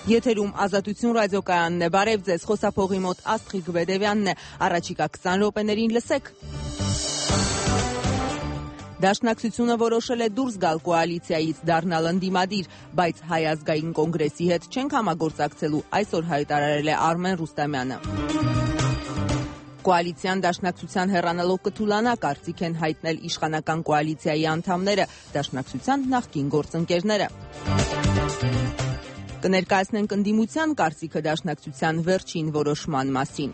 Եթերում Ազատություն ռադիոկայանն է, բարև ձեզ, խոսափողի մոտ Աստղիկ Բեդևյանն է, առաջիկա 20 րոպեներին լսեք։ Դաշնակցությունը որոշել է դուրս գալ կոալիցիայից, դառնալ ընդդիմադիր, բայց Հայ ազգային կոնգրեսի հետ չենք համագործակցելու, այսօր հայտարարել է Արմեն Ռուստամյանը։ Կոալիցիան դաշնակցության հեռանալով կթուլանա, կարծիք են հայտնել իշխանական կոալիցիայի անդամները, դաշնակցության նախկին գործընկերները։ Կներկայացնենք ընդդիմության կարծիքը դաշնակցության վերջին որոշման մասին։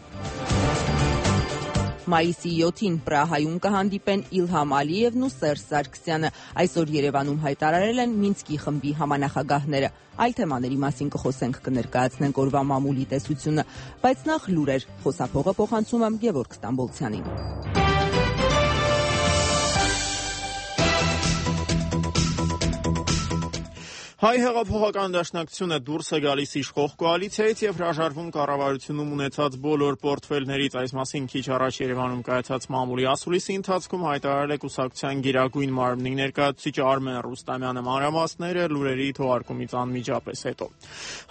Մայիսի 7-ին Պրահայում կհանդիպեն Իլհամ Ալիևն ու Սերժ Սարգսյանը, այսօր Երևանում հայտարարել են Մինսկի խմբի համանախագահները։ Այլ թեմաների մասին կխոսենք, կներկայացնենք օրվա մամուլի տեսությունը, բայց նախ լուրեր, խոսափողը փոխանցում եմ Գևորգ Ստամբոլցյանին։ Հայ հեղափոխական դաշնակցությունը դուրս է գալիս իշխող կոալիցիայից եւ հրաժարվում կառավարությունում ունեցած բոլոր պորտֆելներից, այս մասին քիչ առաջ Երևանում կայացած մամուլի ասուլիսի ընթացքում հայտարարել է կուսակցության գերագույն մարմնի ներկայացուցիչ Արմեն Ռուստամյանը, մանրամասները լուրերի թողարկումից անմիջապես հետո։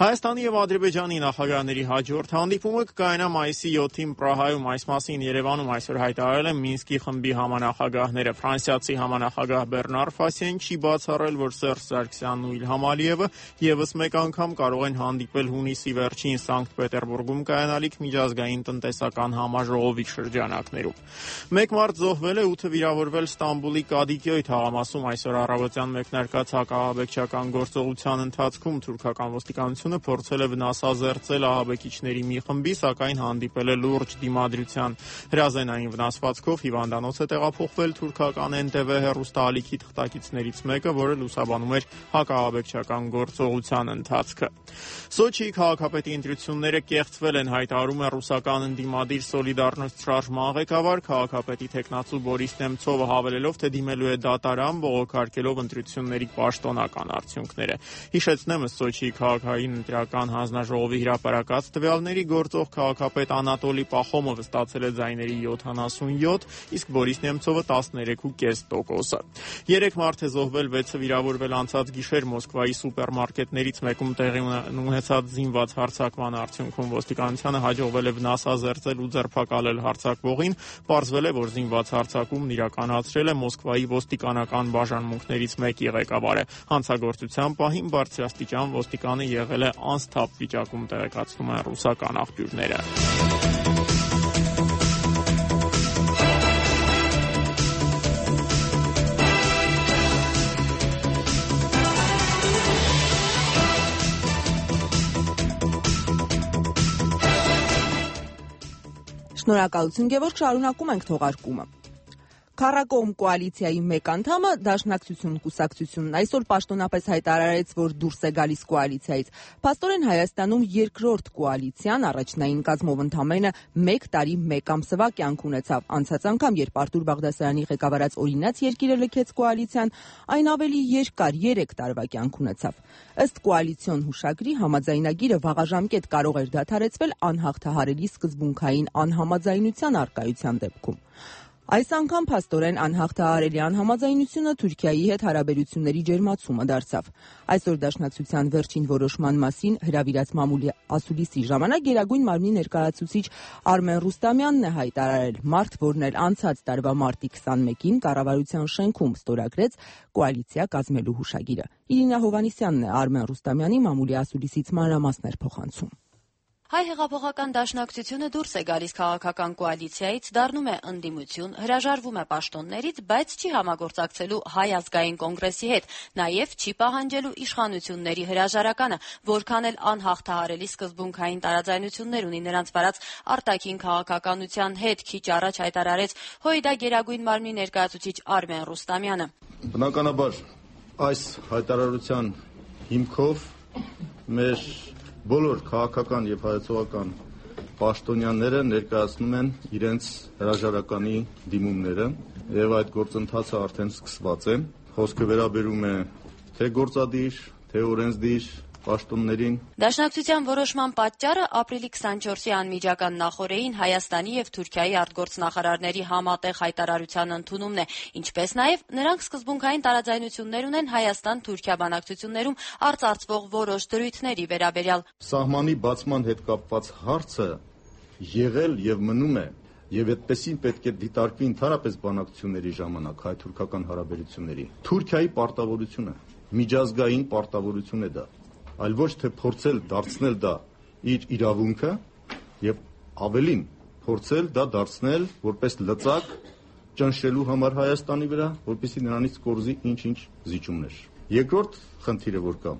Հայաստանի եւ Ադրբեջանի նախագահների հաջորդ հանդիպումը կկայանա մայիսի 7-ին Պրահայում, այս մասին Երևանում այսօր հայտարարել են Մինսկի խմբի համանախագահները։ Ֆրանսիացի համանախագահ Բեռնար Ֆասիեն չի բացառել, որ Սերժ Սարգսյանն ու Իլհամ Ալիևը եւս մեկ անգամ կարող են հանդիպել հունիսի վերջին Սանկտ Պետերբուրգում կայանալիք միջազգային տնտեսական համաժողովի շրջանակներում։ 1 մարդ զոհվել է, 8-ը վիրավորվել Ստամբուլի Կադիկյոյ թաղամասում այսօր առավոտյան մեկնարկած հակահաբեկչական գործողության ընթացքում թուրքական ոստիկանությունը փորձել է վնասազերծել ահաբեկիչների մի խմբի, սակայն հանդիպել է լուրջ դիմադրության։ Հրազենային վնասվածքով հիվանդանոց է տեղափոխվել թուրքական NTV հեռուստաալիքի թղթակիցներից մեկը, որը լուսաբանում էր հակահաբեկչական գործողության ընթացքը։ Սոչիի քաղաքապետի ընտրությունները կեղծվել են, հայտարարում է ռուսական ընդդիմադիր Սոլիդարնոստ շարժման ղեկավար, քաղաքապետի թեկնածու Բորիս Նեմցովը հավելելով, թե դիմելու է դատարան, բողոքարկելով ընտրությունների պաշտոնական արդյունքները։ Հիշեցնեմ, Սոչիի քաղաքային ընտրական հանձնաժողովի հրապարակած տվյալների գործող քաղաքապետ Անատոլի Պախոմովը ստացել է ձայների 77, իսկ Բորիս Նեմցովը 13.5%։ 3 մարդ է զոհվել, 6-ը վիրավորվել անցած գիշեր Մոսկվայի սուպերմարկետներից մեկում տեղի ունեցած զինված հարձակման արդյունքում ոստիկանությանը հաջողվել է վնասազերծել ու ձերբակալել հարձակվողին, պարզվել է, որ զինված հարձակումն իրականացրել է Մոսկվայի ոստիկանական բաժանմունքներից մեկի ղեկավարը։ Հանցագործության պահին բարձրաստիճան ոստիկանը եղել է անսթափ վիճակում, տեղեկացնում են ռուսական աղբյուրները։ Շնորհակալություն Գևորգ, շարունակում ենք թողարկումը։ Քառակողմ կոալիցիայի մեկ անդամը Դաշնակցություն կուսակցությունն այսօր պաշտոնապես հայտարարեց, որ դուրս է գալիս կոալիցիայից։ Փաստորեն Հայաստանում երկրորդ կոալիցիան առաջնային կազմով ընդամենը 1 տարի 1 ամսվա կյանք ունեցավ։ Անցած անգամ, երբ Արտուր Բաղդասարյանի ղեկավարած Օրինաց երկիրը լքեց կոալիցիան, այն ավելի երկար 3 տարվա կյանք ունեցավ։ Ըստ կոալիցիոն հուշագրի համաձայնագիրը վաղաժամկետ կարող էր դադարեցվել անհաղթահարելի սկզբունքային անհամաձայնության առկայության դեպքում։ Այս անգամ փաստորեն անհաղթահարելի անհամաձայնությունը Թուրքիայի հետ հարաբերությունների ջերմացումը դարձավ։ Այսօր Դաշնակցության վերջին որոշման մասին հրավիրած մամուլի ասուլիսի ժամանակ Գերագույն մարմնի ներկայացուցիչ Արմեն Ռուստամյանն է հայտարարել, մարդ, որն էլ անցած տարվա մարտի 21-ին կառավարության շենքում ստորագրեց կոալիցիա կազմելու հուշագիրը։ Իրինա Հովհաննիսյանն է Արմեն Ռուստամյանի մամուլի ասուլիսից մանրամասներ փոխանցում։ Հայ հեղափոխական դաշնակցությունը դուրս է գալիս քաղաքական կոալիցիայից, դառնում է ընդդիմություն, հրաժարվում է պաշտոններից, բայց չի համագործակցելու Հայ ազգային կոնգրեսի հետ, նաև չի պահանջելու իշխանությունների հրաժարականը, որքան էլ անհաղթահարելի սկզբունքային տարաձայնություններ ունի նրանց վարած արտաքին քաղաքականության հետ, քիչ առաջ հայտարարեց ՀՅԴ Գերագույն մարմնի ներկայացուցիչ Արմեն Ռուստամյանը։ Բնականաբար այս հայտարարության հիմքով մեր բոլոր քաղաքական եւ հայեցողական պաշտոնյաները ներկայացնում են իրենց հրաժարականի դիմումները եւ այդ գործընթացը արդեն սկսված է։ Խոսքը վերաբերում է թե գործադիր, թե օրենսդիր, պաշտոններին։ Դաշնակցության որոշման պատճառը ապրիլի 24-ի անմիջական նախօրեին Հայաստանի եւ Թուրքիայի արտգործնախարարների համատեղ հայտարարության ընդունումն է, ինչպես նաեւ նրանք սկզբունքային տարաձայնություններ ունեն Հայաստան-Թուրքիա բանակցություններում արծարծվող որոշ դրույթների վերաբերյալ։ Սահմանի բացման հետ կապված հարցը եղել եւ մնում է, եւ այդպեսին պետք է դիտարկվի ընդհանրապես բանակցությունների ժամանակ հայ-թուրքական հարաբերությունների։ Թուրքիայի պարտավորությունը, միջազգային պարտավորություն է դա, այլ ոչ թե փորձել դարձնել դա իր իրավունքը եւ ավելին փորձել դա դարձնել որպես լծակ ճնշելու համար Հայաստանի վրա, որպեսզի նրանից կորզի ինչ-ինչ զիջումներ։ Երկրորդ խնդիրը որ կա,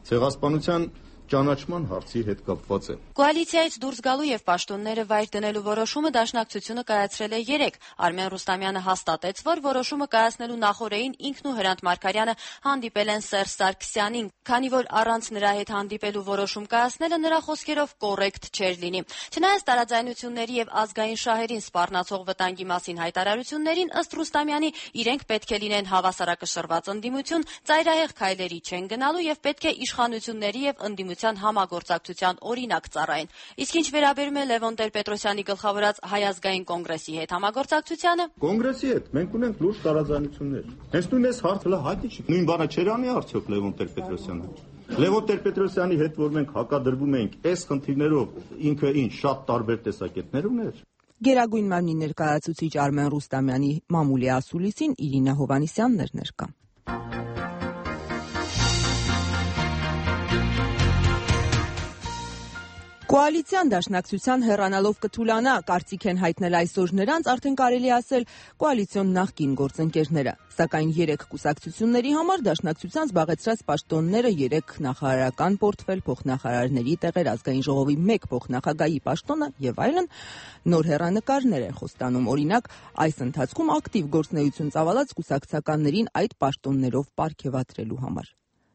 ցեղասպանության ճանաչման հարցի հետ կապված է։ Կոալիցիայից դուրս գալու եւ պաշտոնները վայր դնելու որոշումը դաշնակցությունը կայացրել է 3։ Արմեն Ռուստամյանը հաստատեց, որ որոշումը կայացնելու նախօրեին ինքն ու Հրանտ Մարգարյանը հանդիպել են Սերժ Սարգսյանին, քանի որ առանց նրա հետ հանդիպելու որոշում կայացնելը նրա խոսքերով կոռեկտ չէր լինի։ Չնայած տարաձայնությունների եւ ազգային շահերին սպառնացող վտանգի մասին հայտարարություններին, ըստ Ռուստամյանի, իրենք պետք է լինեն հավասարակշռված ընդդիմություն, ծայրահեղ քայլերի չեն գնալու եւ պետք է իշխանությունների եւ ընդդիմության համագործակցության օրինակ ծառայեն։ Իսկ ինչ վերաբերում է Լևոն Տեր-Պետրոսյանի գլխավորած Հայ ազգային կոնգրեսի հետ համագործակցությանը, Կոնգրեսի հետ մենք ունենք լուրջ տարաձայնություններ։ Հենց նույն այս հարցը հայտնի չի։ Նույն բանը չէր անի արդյոք Լևոն Տեր-Պետրոսյանը։ Լևոն Տեր-Պետրոսյանի հետ որ մենք հակադրվում ենք այս խնդիրներով, ինքը ինչ շատ տարբեր տեսակետներ ուներ։ Գերագույն մարմնի ներկայացուցիչ Արմեն Ռուստամյանի մամուլի ասուլիսին Իրինա Հովանիսյանն էր ներկա։ Կոալիցիան դաշնակցության հեռանալով կթուլանա, կարծիք են հայտնել այսօր նրանց, արդեն կարելի ասել կոալիցիոն նախկին գործընկերները։ Սակայն 3 կուսակցությունների համար դաշնակցության զբաղեցրած պաշտոնները 3 նախարարական պորտֆել, փոխնախարարների տեղեր, ազգային ժողովի 1 փոխնախագահի պաշտոնը եւ այլն նոր հեռանկարներ են խոստանում։ Օրինակ, այս ընթացքում ակտիվ գործունեություն ծավալած կուսակցականներին այդ պաշտոններով պարգևատրելու համար։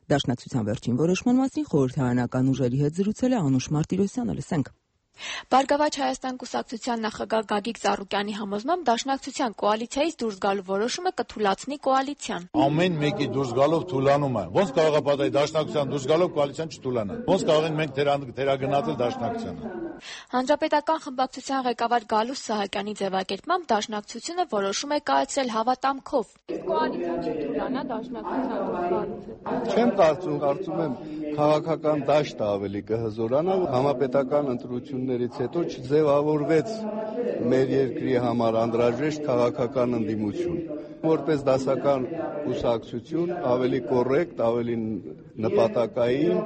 Դաշնակցության վերջին որոշման մասին խորհրդարանական ուժերի հետ զրուցել է Անուշ Մարտիրոսյանը, լսենք։ Բարգավաճ Հայաստան կուսակցության նախագահ Գագիկ Ծառուկյանի համոզմամբ դաշնակցության կոալիցիայից դուրս գալու որոշումը կթուլացնի կոալիցիան։ Ամեն մեկի դուրս գալով թուլանում է։ Ոնց կարող է պատահի դաշնակցության դուրս գալով կոալիցիան չթուլանա։ Ոնց կարող են մենք թերագնացել դաշնակցությանը։ Հանրապետական խմբակցության ղեկավար Գալուս Սահակյանի ձևակերպմամբ դաշնակցությունը որոշում է կայացրել հավատամքով։ Կոալիցիան չթուլանա դաշնակցության դուրս գալուց։ Չեմ կարծում եմ քաղաքական դաշտը ավելի կհզորանա, համապետական ընտրություններից հետո չձևավորվեց մեր երկրի համար անհրաժեշտ քաղաքական ընդդիմություն։ Որպես դասական կուսակցություն ավելի կոռեկտ, ավելի նպատակային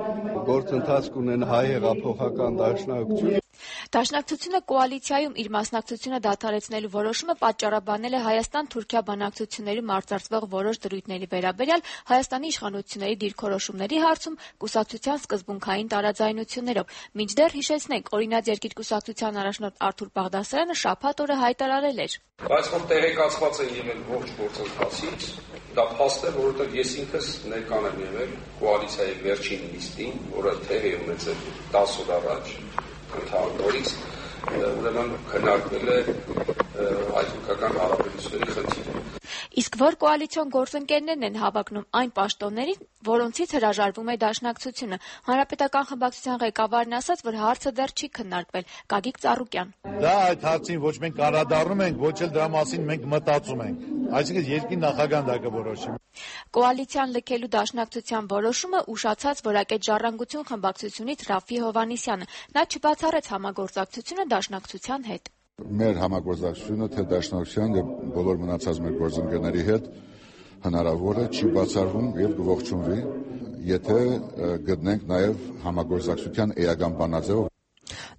գործընթաց կունեն հայ հեղափոխական դաշնակցություն։ Դաշնակցությունը կոալիցիայում իր մասնակցությունը դադարեցնելու որոշումը պատճառաբանել է Հայաստան-Թուրքիա բանակցություններում արծարծվող որոշ դրույթների վերաբերյալ Հայաստանի իշխանությունների դիրքորոշումների հարցում կուսակցության սկզբունքային տարաձայնություններով։ Մինչդեռ հիշեցնենք, Օրինաց երկիր կուսակցության առաջնորդ Արթուր Բաղդասարյանը շաբաթ օրը հայտարարել էր. Բայց որ տեղեկացված են եղել ողջ գործընթացից, դա փաստ է, որովհետև ես ինքս ներկան եմ եղել կոալիցիայի վերջին նիստին, որը տեղի ունեցել 10 օր առաջ ընդհանրորից, ուրեմն քննարկվել է հայ-թուրքական հարաբերությունների խնդիրը։ Իսկ որ կոալիցիոն գործընկերներն են հավակնում այն պաշտոններին, որոնցից հրաժարվում է դաշնակցությունը։ Հանրապետական խմբակցության ղեկավարն ասաց, որ հարցը դեռ չի քննարկվել։ Գագիկ Ծառուկյան. Դա այդ հարցին ոչ մենք անդրադառնում ենք, ոչ էլ դրա մասին մենք մտածում ենք։ Այսինքն երկրի նախագահան դա կորոշի։ Կոալիցիան լքելու դաշնակցության որոշումը ուշացած Որակետ Ժառանգություն խմբակցությունից Ռաֆի Հովանիսյանը։ Նա չբացառեց համագործակցությունը դաշնակցության հետ։ Մեր համագործակցությունը թե դաշնակցության եւ բոլոր մնացած մեր գործընկերների հետ հնարավոր է չի բացառվում եւ կողջունվի, եթե գտնենք նաեւ համագործակցության էական բանաձև։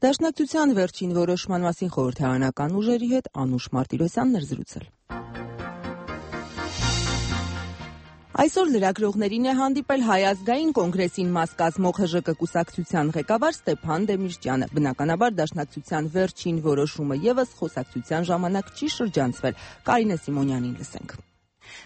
Դաշնակցության վերջին որոշման մասին խորհրդարանական ուժերի հետ Անուշ Մարտիրոսյանն էր զրուցել։ Այսօր լրագրողներին է հանդիպել Հայ ազգային կոնգրեսին մաս կազմող ՀԺԿ կուսակցության ղեկավար Ստեփան Դեմիրճյանը։ Բնականաբար դաշնակցության վերջին որոշումը եւս խոսակցության ժամանակ չի շրջանցվել։ Կարինե Սիմոնյանին լսենք։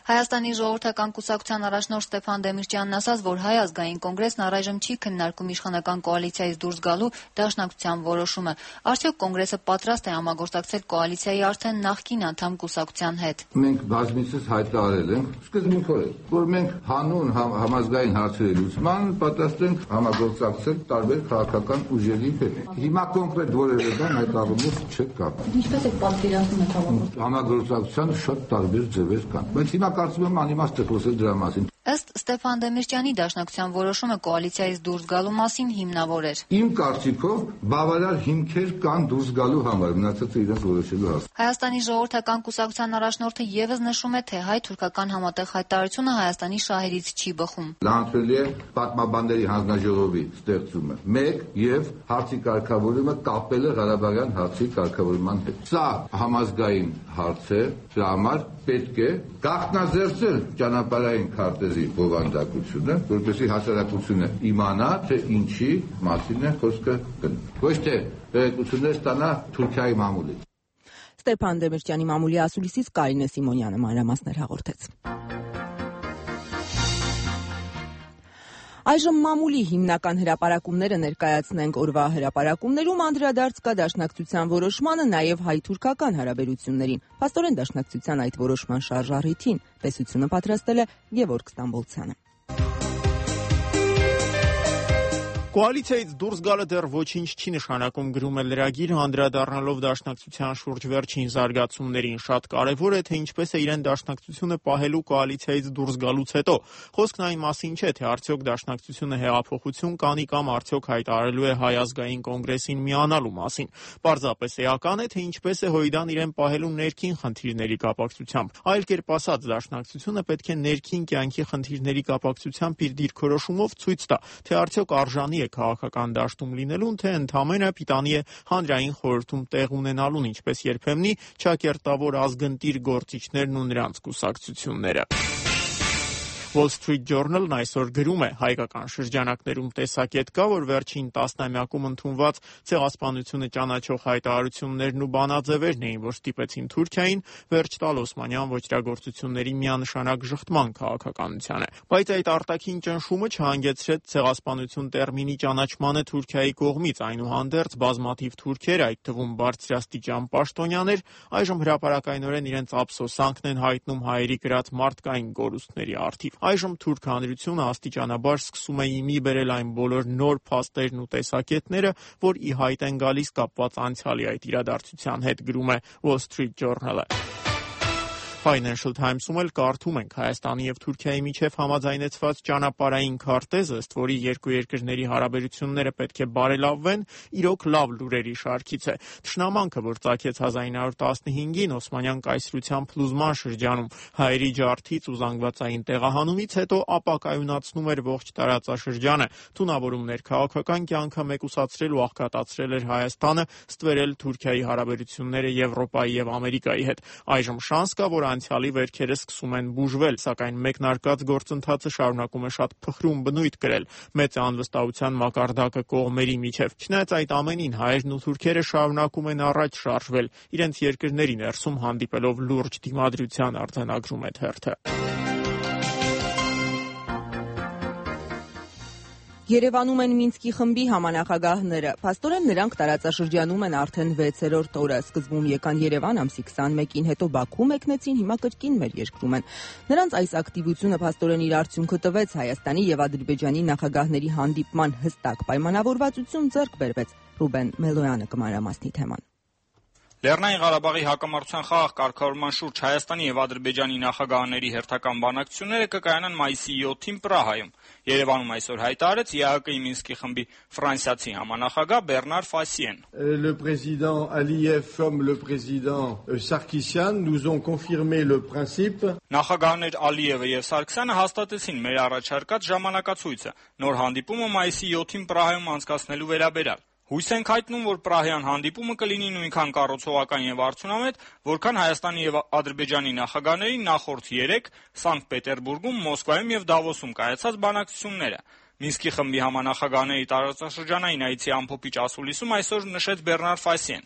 Հայաստանի ժողովրդական կուսակցության առաջնորդ Ստեփան Դեմիրճյանն ասաց, որ Հայ ազգային կոնգրեսն առայժմ չի քննարկում իշխանական կոալիցիայից դուրս գալու դաշնակցության որոշումը։ Արդյոք կոնգրեսը պատրաստ է համագործակցել կոալիցիայի արդեն նախկին անդամ կուսակցության հետ։ Մենք բազմիցս հայտարարել ենք սկզբունքորեն, որ մենք հանուն համազգային հարցերի լուծման պատրաստ ենք համագործակցել տարբեր քաղաքական ուժերի հետ։ Հիմա կոնկրետ որևէ բան այդ առումով չկա։ Ինչպես եք պատկերացնում եք համագործակցության շատ տարբեր ձևեր կան։ Բայց հիմա կարծում եմ անիմաստ է խոսել դրա մասին։ Ըստ Ստեփան Դեմիրճյանի դաշնակցության որոշումը կոալիցիայից դուրս գալու մասին հիմնավոր էր։ Իմ կարծիքով բավարար հիմքեր կան դուրս գալու համար, մնացածը իրենց որոշելու հարց։ Հայաստանի ժողովրդական կուսակցության առաջնորդը եւս նշում է, թե հայ-թուրքական համատեղ հայտարարությունը Հայաստանի շահերից չի բխում։ Լանցվել է պատմաբանների հանձնաժողովի ստեղծումը, մեկ եւ հարցի կարգավորումը կապելը Ղարաբաղյան հարցի կարգավորման հետ։ Սա համազգային հարց է, դրա համար պետք է գաղտնազերծել ճանապարհային քարտեզի բովանդակությունը, որպեսզի հասարակությունը իմանա, թե ինչի մասին է խոսքը գնում։ Ոչ թե տեղեկություններ ստանա Թուրքիայի մամուլից։ Ստեփան Դեմիրճյանի մամուլի ասուլիսից Կարինե Սիմոնյանը մանրամասներ հաղորդեց։ Այժմ մամուլի հիմնական հրապարակումները ներկայացնենք օրվա հրապարակումներում անդրադարձ կա դաշնակցության որոշմանը, նաև հայ-թուրքական հարաբերություններին։ Փաստորեն դաշնակցության այդ որոշման շարժառիթին տեսությունը պատրաստել է Գևորգ Ստամբոլցյանը։ Կոալիցիայից դուրս գալը դեռ ոչինչ չի նշանակում, գրում է լրագիրը, անդրադառնալով դաշնակցության շուրջ վերջին զարգացումներին։ Շատ կարևոր է, թե ինչպես է իրեն դաշնակցությունը պահելու կոալիցիայից դուրս գալուց հետո։ Խոսքն այն մասին չէ, թե արդյոք դաշնակցությունը հեղափոխություն կանի կամ արդյոք հայտարարելու է Հայ ազգային կոնգրեսին միանալու մասին։ Պարզապես էական է, թե ինչպես է Հույդան իրեն պահելու ներքին խնդիրների կապակցությամբ։ Այլ կերպ ասած, դաշնակցությունը պետք է ներքին կյանքի խնդիրների կապակցությամբ իր դիրքորոշումով ցույց տա, թե արդյոք արժանի է քաղաքական դաշտում լինելուն, թե ընդամենը պիտանի է հանրային խորհրդում տեղ ունենալուն, ինչպես երբեմնի ճակերտավոր ազգընտիր գործիչներն ու նրանց կուսակցությունները։ Wall Street Journal-ն այսօր գրում է, հայկական շրջանակներում տեսակետ կա, որ վերջին տասնամյակում ընդունված ցեղասպանությունը ճանաչող հայտարարություններն ու բանաձևերն էին, որ ստիպեցին Թուրքիային վերջ տալ օսմանյան ոճրագործությունների միանշանակ ժխտման քաղաքականությանը։ Բայց այդ արտաքին ճնշումը չհանգեցրեց ցեղասպանություն տերմինի ճանաչմանը Թուրքիայի կողմից, այնուհանդերձ բազմաթիվ թուրքեր, այդ թվում բարձրաստիճան պաշտոնյաներ, այժմ հրապարակայնորեն իրենց ափսոսանքն են հայտնում հայերի կրած մարդկային կորուստների առթիվ։ Այժմ թուրք հանրությունը աստիճանաբար սկսում է իմի բերել այն բոլոր նոր փաստերն ու տեսակետները, որ ի հայտ են գալիս կապված անցյալի այդ իրադարձության հետ, գրում է Wall Street Journal-ը։ Financial Times-ում էլ կարդում ենք Հայաստանի եւ Թուրքիայի միջև համաձայնեցված ճանապարհային քարտեզը, ըստ որի երկու երկրների հարաբերությունները պետք է բարելավվեն, իրոք լավ լուրերի շարքից է։ Թշնամանքը, որ ծագեց 1915-ին Օսմանյան կայսրության փլուզման շրջանում, հայերի ջարդից ու զանգվածային տեղահանումից հետո ապակայունացնում էր ողջ տարածաշրջանը, թունավորումներ քաղաքական կյանքը մեկուսացրել ու աղքատացրել էր Հայաստանը, ստվերել Թուրքիայի հարաբերությունները Եվրոպայի եւ Ամերիկայի հետ։ Այժմ շանս կա, որ անցյալի վերքերը սկսում են բուժվել, սակայն մեկնարկած գործընթացը շարունակում է շատ փխրուն բնույթ կրել, մեծ է անվստահության մակարդակը կողմերի միջև։ Չնայած այդ ամենին հայերն ու թուրքերը շարունակում են առաջ շարժվել, իրենց երկրների ներսում հանդիպելով լուրջ դիմադրության, արձանագրում է թերթը։ Երևանում են Մինսկի խմբի համանախագահները։ Փաստորեն նրանք տարածաշրջանում են արդեն 6-րդ օրը։ Սկզբում եկան Երևան ամսի 21-ին, հետո Բաքու մեկնեցին, հիմա կրկին մեր երկրում են։ Նրանց այս ակտիվությունը փաստորեն իր արդյունքը տվեց, Հայաստանի եւ Ադրբեջանի նախագահների հանդիպման հստակ պայմանավորվածություն ձեռք բերվեց։ Ռուբեն Մելոյանը կմանրամասնի թեման։ Լեռնային Ղարաբաղի հակամարտության խաղաղ կարգավորման շուրջ Հայաստանի եւ Ադրբեջանի նախագահների հերթական բանակցությունները կկայանան մայիսի 7-ին Պրահայում։ Երևանում այսօր հայտարարեց ԵԱՀԿ-ի Մինսկի խմբի ֆրանսիացի համանախագահ Բեռնար Ֆասիեն։ Le président Aliyev comme le président Sarkisyan nous ont confirmé le principe. Նախագահներ Ալիևը եւ Սարգսյանը հաստատեցին մեր առաջարկած ժամանակացույցը նոր հանդիպումը մայիսի 7-ին Պրահայում անցկացնելու վերաբերյալ։ Հույս ենք հայտնում, որ Պրահյան հանդիպումը կլինի նույնքան կառուցողական եւ արդյունավետ, որքան Հայաստանի եւ Ադրբեջանի նախագահների նախորդ 3 Սանկտ Պետերբուրգում, Մոսկվայում եւ Դավոսում կայացած բանակցությունները։ Մինսկի խմբի համանախագահների տարածաշրջանային այցի ամփոփիչ ասուլիսում այսօր նշեց Բեռնար Ֆասիեն։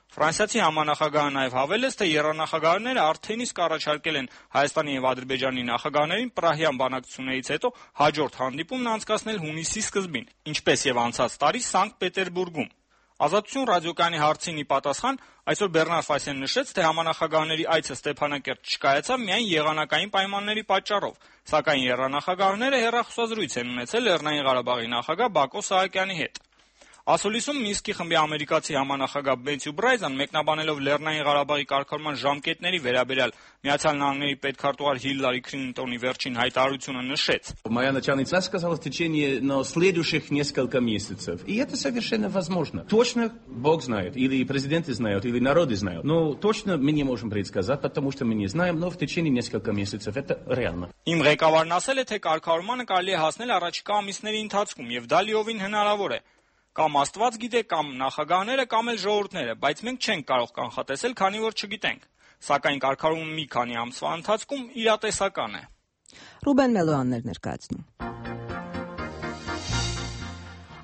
Ֆրանսիացի համանախագահը նաև հավելեց, թե եռանախագահները արդեն իսկ առաջարկել են Հայաստանի եւ Ադրբեջանի նախագահներին Պրահյան բանակցություններից հետո հաջորդ հանդիպումն անցկացնել հունիսի սկզբին, ինչպես եւ անցած տարի Սանկտ Պետերբուրգում։ Ազատություն ռադիոկայանի հարցին ի պատասխան այսօր Բեռնար Ֆայսյանը նշեց, թե համանախագահների այցը Ստեփանակերտ չկայացավ միայն եղանակային պայմանների պատճառով, սակայն եռանախագահները հեռախոսազրույց են ունեցել Լեռնային Ղարաբաղի նախագահ Բակո Սահակյանի հետ։ Ասուլիսում Մինսկի խմբի ամերիկացի համանախագահ Մեթյու Բրայզան մեկնաբանելով Լեռնային Ղարաբաղի կարգավորման ժամկետների վերաբերյալ Միացյալ Նահանգների պետքարտուղար Հիլարի Քլինտոնի վերջին հայտարարությունը несեց. Моя начальница сказала в течение следующих несколько месяцев. И это совершенно возможно. Точно Бог знает, или президенты знают, или народы знают. Но точно мы не можем предсказать, потому что мы не знаем, но в течение нескольких месяцев это реально. Իմ ղեկավարն ասել է, թե կարգավորմանը կարելի է հասնել առաջիկա ամիսների ընթացքում եւ դա լիովին հնարավոր է։ Կամ Աստված գիտե, կամ նախագահները, կամ էլ ժողովուրդները, բայց մենք չենք կարող կանխատեսել, քանի որ չգիտենք։ Սակայն կարգավորումը մի քանի ամսվա ընթացքում իրատեսական է։ Ռուբեն Մելոյաններ ներկայացնում։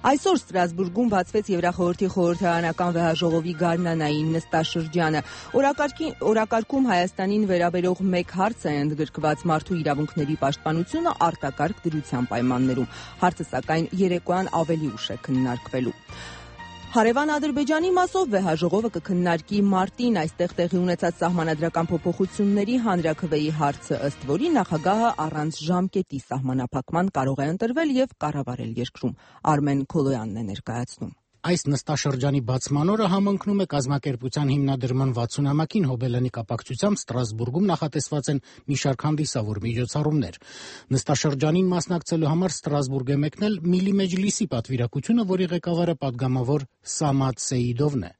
Այսօր Ստրասբուրգում բացվեց Եվրախորհրդի խորհրդարանական վեհաժողովի գարնանային նստաշրջանը։ Օրակարգում Հայաստանին վերաբերող մեկ հարց է ընդգրկված մարդու իրավունքների պաշտպանությունը արտակարգ դրության պայմաններում։ Հարցը սակայն երեկոյան ավելի ուշ է քննարկվելու։ Հարևան Ադրբեջանի մասով վեհաժողովը կքննարկի մարտին այստեղ տեղի ունեցած սահմանադրական փոփոխությունների հանրաքվեի հարցը, ըստ որի նախագահը առանց ժամկետի սահմանափակման կարող է ընտրվել եւ կառավարել երկրում։ Արմեն Քոլոյանն է ներկայացնում։ Այս նստաշրջանի բացման օրը համընկնում է կազմակերպության հիմնադրման 60-ամյակին հոբելանի կապակցությամբ Ստրասբուրգում նախատեսված են մի շարք հանդիսավոր միջոցառումներ։ Նստաշրջանին մասնակցելու համար Ստրասբուրգ է մեկնել Միլի Մեջլիսի պատվիրակությունը, որի ղեկավարը պատգամավոր Սամադ Սեիդովն է։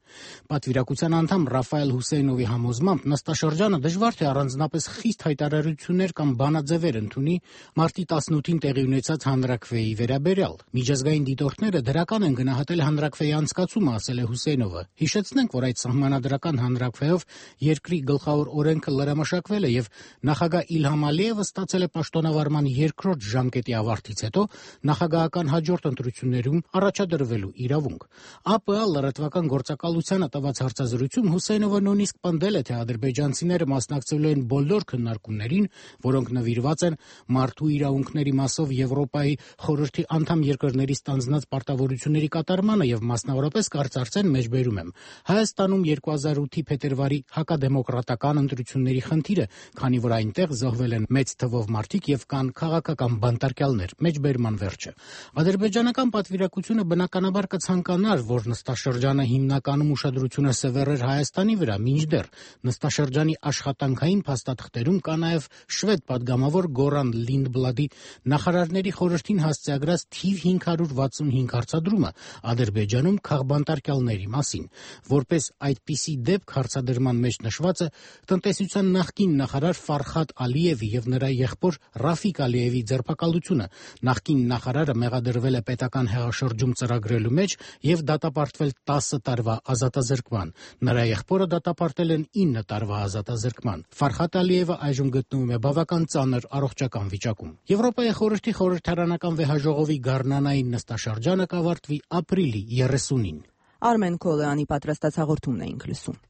Պատվիրակության անդամ Ռաֆայել Հուսեյնովի համոզմամբ նստաշրջանը դժվար թե առանձնապես խիստ հայտարարություններ կամ բանաձևեր ընդունի մարտի 18-ին տեղի ունեցած հանրաքվեի վերաբերյալ։ Միջազգային դիտորդները դրական են գնահատել հանրաքվեի անցկացումը, ասել է Հուսեյնովը։ Հիշեցնենք, որ այդ սահմանադրական հանրաքվեով երկրի գլխավոր օրենքը լրամշակվել է եւ նախագահ Իլհամ Ալիևը ստացել է պաշտոնավարման երկրորդ ժամկետի ավարտից հետո նախագահական հաջորդ ընտրություններում առաջադրվելու իրավունք։ ԱՊԱ լրատվական գործակալությանը տված հարցազրույցում Հուսեյնովը նույնիսկ պնդել է, թե ադրբեջանցիները մասնակցելու են բոլոր քննարկումներին, որոնք նվիրված են մարդու իրավունքների մասով Եվրոպայի խորհրդի անդամ երկրների ստանձնած պարտավորությունների կատարմանը եւ մասնավորապես կարծարծեն մեջբերում եմ Հայաստանում 2008-ի փետրվարի հակադեմոկրատական ընտրությունների խնդիրը, քանի որ այնտեղ զոհվել են մեծ թվով մարդիկ եւ կան քաղաքական բանտարկյալներ, մեջբերման վերջը։ Ադրբեջանական պատվիրակությունը բնականաբար կցանկանար, որ նստաշրջանը հիմնականում ուշադրությունը սևեռեր Հայաստանի վրա, մինչդեռ նստաշրջանի աշխատանքային փաստաթղթերում կա նաեւ շվեդ պատգամավոր Գորան Լինդբլադի նախարարների խորհրդին հասցեագրած թիվ 565 հարցադրումը Ադրբեջանում քաղբանտարկյալների մասին։ Որպես այդպիսի դեպք հարցադրման մեջ նշվածը տնտեսության նախկին նախարար Ֆարխադ Ալիևի եւ նրա եղբոր Ռաֆիկ Ալիևի ձերբակալությունը։ Նախկին նախարարը մեղադրվել է պետական հեղաշրջում ծրագրելու մեջ եւ դատապարտվել 10 տարվա ազատազրկման։ Նրա եղբորը դատապարտել են 9 տարվա ազատազրկման։ Ֆարխադ Ալիևը այժմ գտնվում է բավական ծանր առողջական վիճակում։ Եվրոպայի խորհրդի խորհրդարանական վեհաժողովի գարնանային նստաշրջանը կավարտվի ապրիլի 30-ին։ Արմեն Քոլոյանի պատրաստած հաղորդումն էինք լսում։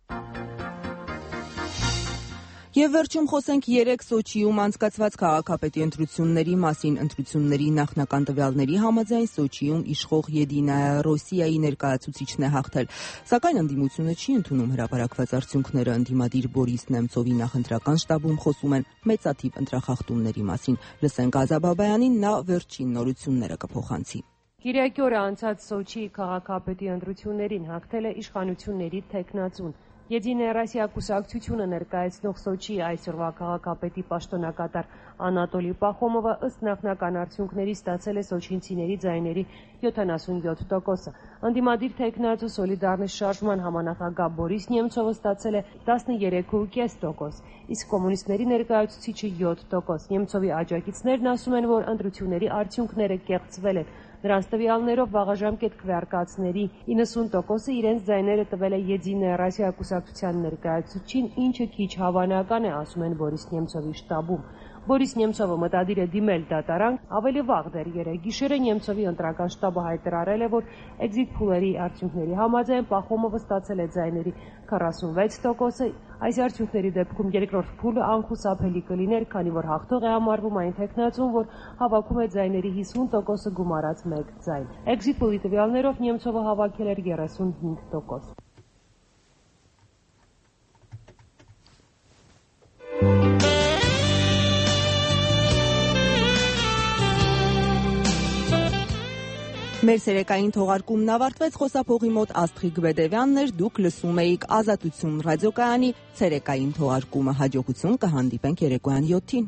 Եվ վերջում խոսենք 3 Սոչիում անցկացված քաղաքապետի ընտրությունների մասին։ Ընտրությունների նախնական տվյալների համաձայն Սոչիում իշխող Եդինայա Ռոսիայի ներկայացուցիչն է հաղթել, սակայն ընդդիմությունը չի ընդունում հրապարակված արդյունքները։ Ընդդիմադիր Բորիս Նեմցովի նախընտրական շտաբում խոսում են մեծաթիվ ընտրախախտումների մասին։ Լսենք Ազաբաբայանին, նա վերջին նորությունները կփոխանցի։ Կիրակի օրը անցած Սոչիի քաղաքապետի ընտրություններին հաղթել է իշխանությունների թեկնածուն։ Եդինայա Ռոսիա կուսակցությունը ներկայացնող Սոչիի այսօրվա քաղաքապետի պաշտոնակատար Անատոլի Պախոմովը ըստ նախնական արդյունքների ստացել է սոչինցիների ձայների 77%-ը։ Ընդդիմադիր թեկնածու Սոլիդարնիստ շարժման համանախագահ Բորիս Նեմցովը ստացել է 13.5%, իսկ կոմունիստների ներկայացուցիչը 7%։ Նեմցովի աջակիցներն ասում են, որ ընտրությունների արդյունքները կեղծվել են։ Նրանց տվյալներով վաղաժամկետ քվեարկածների 90%-ը իրենց ձայները տվել է Եդինայա Ռոսիա կուսակցության ներկայացուցիչին, ինչը քիչ հավանական է, ասում են Բորիս Նեմցովի շտաբում։ Բորիս Նեմցովը մտադիր է դիմել դատարան, ավելի վաղ դեռ երեկ գիշերը Նեմցովի ընտրական շտաբը հայտարարել է, որ էքզիտ փուլերի արդյունքների համաձայն Պախոմովը ստացել է ձայների 46%-ը, այս արդյունքների դեպքում երկրորդ փուլը անխուսափելի կլիներ, քանի որ հաղթող է համարվում այն թեկնածուն, որ հավաքում է ձայների 50%-ը գումարած 1 ձայն։ Էքզիտ փուլի տվյալներով Նեմցովը հավաքել էր 35%։ Մեր ցերեկային թողարկումն ավարտվեց, խոսափողի մոտ Աստղիկ Բեդևյանն էր, դուք լսում էիք Ազատություն ռադիոկայանի ցերեկային թողարկումը, հաջողություն կհանդիպենք երեկոյան 7-ին։